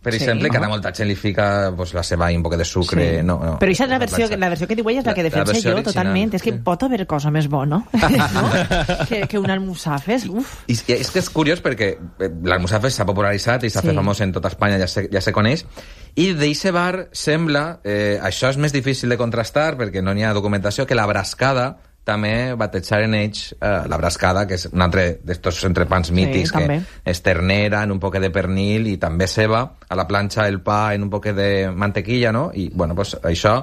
per exemple, que ara molta gent li fica la ceba i un poc de sucre. Sí. No, però això és la versió que diu ella, és la que defensa jo totalment. És que pot haver cosa més bona, no? que un almussafes. I és que és curiós perquè l'almussafes s'ha popularitzat i s'ha fet famós en tota Espanya, ja se coneix, i d'eixe bar sembla, això és més difícil de contrastar perquè no n'hi ha documentació, que la brascada també batejaren ells la brascada, que és un altre d'estos entrepans mítics, que és ternera en un poc de pernil i també ceba, a la planxa el pa en un poc de mantequilla, no? I, bueno, pues això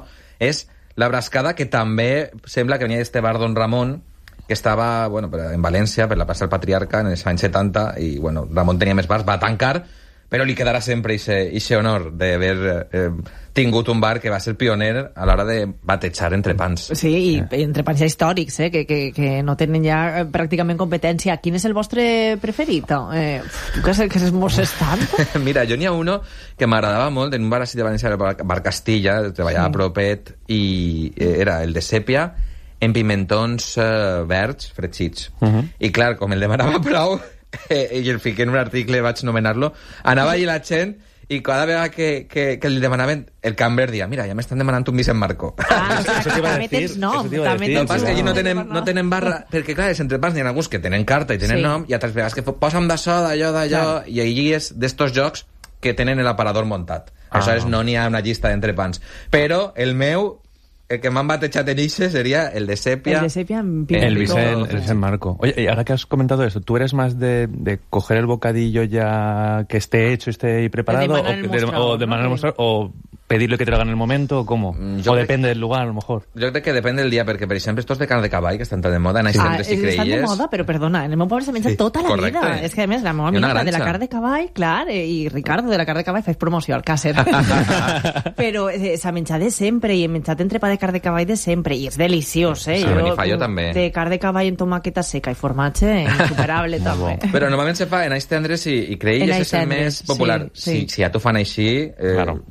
és la brascada, que també sembla que venia d'este bar Don Ramon, que estava, bueno, en València, per la plaça del Patriarca, en els anys 70, i, bueno, Ramon tenia més bars, va tancar, però li quedarà sempre ixe honor d'haver tingut un bar que va ser pioner a l'hora de batejar entrepans. Sí, i entrepans ja històrics, que no tenen ja pràcticament competència. Quin és el vostre preferit? Tu que s'esmorces tant? Mira, jo n'hi ha uno que m'agradava molt en un bar així de València, el bar Castilla, treballava a propet, i era el de sèpia, en pimentons verds fregits. I clar, com el demanava prou, i el fiqué en un article, vaig nomenar-lo, anava allí la gent i cada vegada que li demanaven, el cambrer dia, mira, ja m'estan demanant un Vicent Marco. També tens nom. El que passa és que allí no tenen barra, perquè clar, els entrepans n'hi ha alguns que tenen carta i tenen nom, i altres vegades que posa'm d'això, d'allò, i allí és d'estos jocs que tenen l'aparador muntat. Aleshores no n'hi ha una llista d'entrepans. Però el meu, el que m'han batejat en ixe sería el de sepia. El de sepia en el Vicent Marco. Oye, y ahora que has comentado eso, ¿tú eres más de coger el bocadillo ya que esté hecho, esté preparado, o de manera mostrar, o pedirle que te lo hagan en el momento, o cómo? O depende del lugar, a lo mejor. Jo crec que depèn del dia, perquè, per exemple, estos de carn de cavall, que estan tan de moda, naix sempre si creies... Estan de moda, però perdona, en el meu poble s'ha menjat tota la vida. És que, a més, la meva amiga de la carn de cavall, clar, i Ricardo de la carn de cavall, faig promoció al càcer. Però s'ha menjat de sempre, i he menjat entrepà de carn de cavall de sempre, i és deliciós, Sí, Benifallo també. De carn de cavall amb tomaqueta seca i formatge, insuperable, també. Però normalment se fa en ais tendres i creies és el més popular. Si ja t'ho fan així,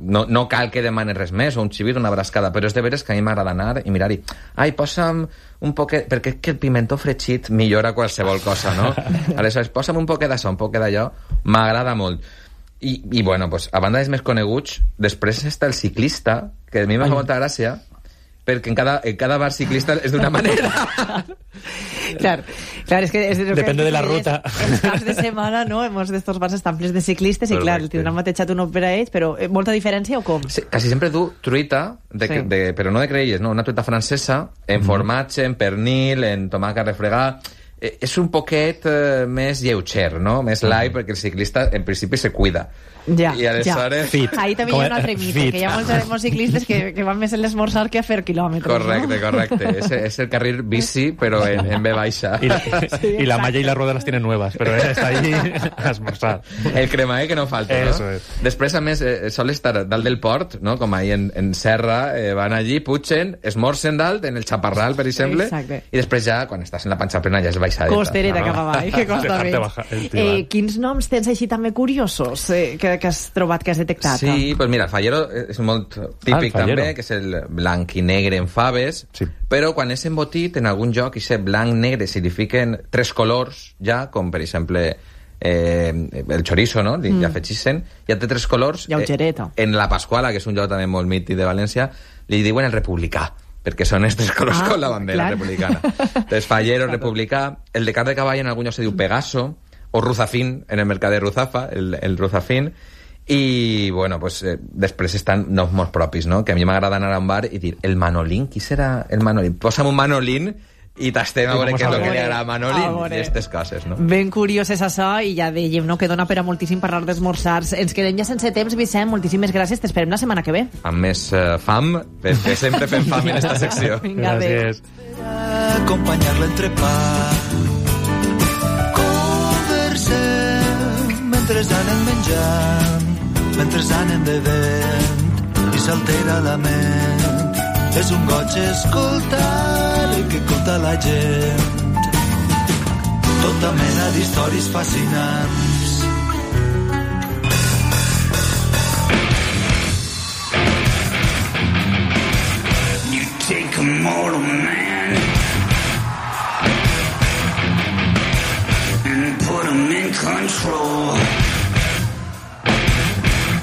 no cal que demanes res més, o un xivit, una brascada, però és de veres que a mi m'agrada anar i mirar-hi. Ai, posa'm un poquet... Perquè és que el pimentó fregit millora qualsevol cosa, no? Aleshores, posa'm un poquet d'això, un poquet d'allò, m'agrada molt. I bueno, pues, a banda dels més coneguts, després està el ciclista, que a mi m'ha molta gràcia, perquè en cada bar ciclista és d'una manera. Clar, és que... Depende de la ruta. Els caps de setmana, no? Molts d'estos bars estan plens de ciclistes i, clar, tindran batejat un per a ells, però molta diferència o com? Sí, quasi sempre du truita, però no de creies, no? Una truita francesa, en formatge, en pernil, en tomàquet refregat... És un poquet més lleuger, no? Més light, perquè el ciclista, en principi, se cuida. Ja, i aleshores... Fit. Ahí també hi ha un altre mite, que hi ha molts ciclistes que van més en l'esmorzar que a fer quilòmetres. Correcte. Es el carril bici, però en B baixa. Y la malla y la rueda las tienen nuevas, pero está ahí a esmorzar. El cremae que no falta, no? Eso es. Després, a més, sol estar dalt del port, no? Com ahí en Serra, van allí, pugen, esmorzen dalt, en el Chaparral, per exemple, i després ja, quan estàs en la panxa plena, ja és baixadeta. Costereta cap avall, que costa més. Quins noms tens així també curiosos que has trobat, que has detectat? Sí, pues mira, el fallero és molt típic també, que és el blanc i negre en faves, però quan és embotit en algun lloc, i ser blanc-negre signifiquen 3 colors ja, com per exemple el chorizo, no? Ja afegissen, ja té 3 colors. En la Pasquala, que és un lloc també molt mític de València, li diuen el republicà, perquè són estos colors con la bandera republicana. Entonces, fallero, republicà. El de carn de cavall en algun lloc se diu Pegaso, o Ruzafín, en el mercat de Ruzafa, el Ruzafín. I, bueno, pues, després estan noms molt propis, no? Que a mi m'agrada anar a un bar i dir, el Manolín, qui serà el Manolín? Posa'm un Manolín i tastem a veure què és el que li agrada a Manolín i aquestes coses, no? Ben curiós és això, i ja dèiem, no?, que dona per a moltíssim parlar d'esmorzars. Ens quedem ja sense temps, Vicent, moltíssimes gràcies, t'esperem la setmana que ve. Amb més fam, perquè sempre fem fam en esta secció. Vinga, gràcies. Acompanyar l'entrepà, conversem mentre anem menjant, mentre anem bevent i s'altera la ment. És un goig escoltar el que conta la gent, tota mena d'històries fascinants